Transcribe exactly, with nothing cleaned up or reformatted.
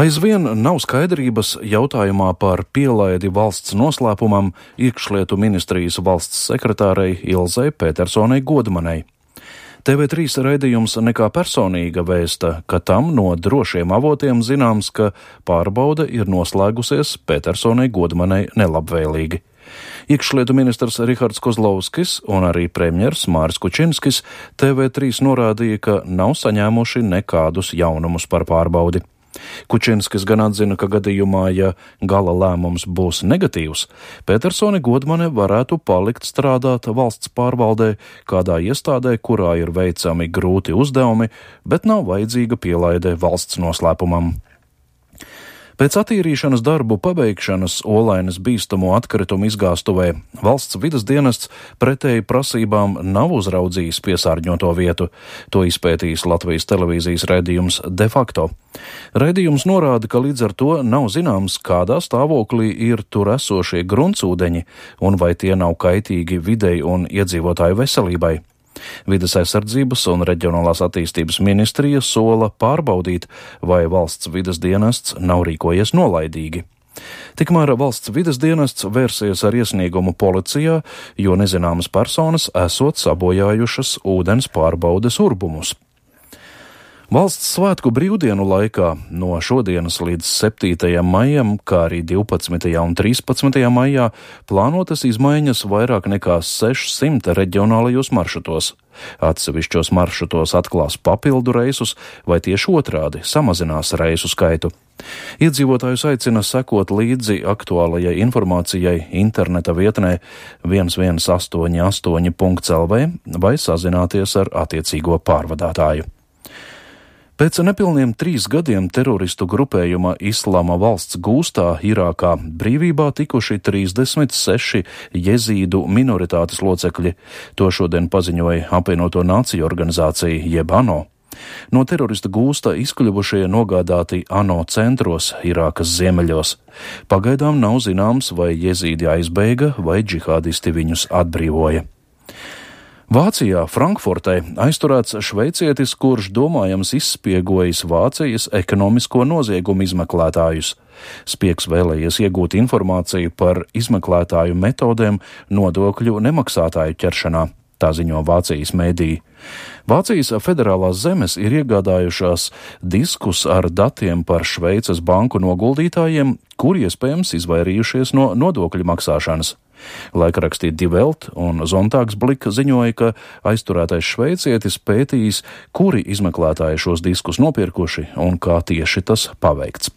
Aizvien nav skaidrības jautājumā par pielaidi valsts noslēpumam iekšlietu ministrijas valsts sekretārei Ilzei Petersonai Godmanei. T V trīs raidījums Nekā personīga vēsta, ka tam no drošiem avotiem zināms, ka pārbaude ir noslēgusies Petersonai Godmanei nelabvēlīgi. Iekšlietu ministrs Rihards Kozlovskis un arī premjers Māris Kučinskis T V trīs norādīja, ka nav saņēmuši nekādus jaunumus par pārbaudi. Kučinskis gan atzina, ka gadījumā, ja gala lēmums būs negatīvs, Petersone Godmane varētu palikt strādāt valsts pārvaldē kādā iestādē, kurā ir veicami grūti uzdevumi, bet nav vajadzīga pielaide valsts noslēpumam. Pēc attīrīšanas darbu pabeigšanas Olainas bīstamo atkritumu izgāstuvē valsts vides dienests pretēji prasībām nav uzraudzījis piesārņoto vietu. To izpētījis Latvijas televīzijas raidījums De facto. Raidījums norāda, ka līdz ar to nav zināms, kādā stāvoklī ir tur esošie gruntsūdeņi un vai tie nav kaitīgi videi un iedzīvotāju veselībai. Vides aizsardzības un reģionālās attīstības ministrija sola pārbaudīt, vai valsts vides dienests nav rīkojies nolaidīgi. Tikmēr valsts vides dienests vērsies ar iesniegumu policijā, jo nezināmas personas esot sabojājušas ūdens pārbaudes urbumus. Valsts svētku brīvdienu laikā no šodienas līdz septītajam maijam, kā arī divpadsmitajā un trīspadsmitajā maijā, plānotas izmaiņas vairāk nekā sešsimt reģionālajos maršrutos. Atsevišķos maršrutos atklās papildu reisus vai tieši otrādi samazinās reisu skaitu. Iedzīvotājus aicina sekot līdzi aktuālajai informācijai interneta vietnē viens viens astoņi astoņi punkts L V vai sazināties ar attiecīgo pārvadātāju. Pēc nepilniem trīs gadiem teroristu grupējuma Islāma valsts gūstā Irākā brīvībā tikuši trīsdesmit seši jezīdu minoritātes locekļi. To šodien paziņoja apvienoto nāciju organizācija jeb ANO. No teroristu gūsta izkļuvušie nogādāti ANO centros Irākas ziemeļos. Pagaidām nav zināms, vai jezīdi aizbēga vai džihādisti viņus atbrīvoja. Vācijā, Frankfurtē, aizturēts šveicietis, kurš domājams izspiegojis Vācijas ekonomisko noziegumu izmeklētājus. Spiegs vēlējies iegūt informāciju par izmeklētāju metodēm nodokļu nemaksātāju ķeršanā, tā ziņo Vācijas mēdīji. Vācijas federālās zemes ir iegādājušās diskus ar datiem par Šveices banku noguldītājiem, kuri iespējams izvairījušies no nodokļu maksāšanas. Laikrakstī Die Welt un Sonntagsblick ziņoja, ka aizturētais šveicietis pētījis, kuri izmeklētāji šos diskus nopirkuši un kā tieši tas paveikts.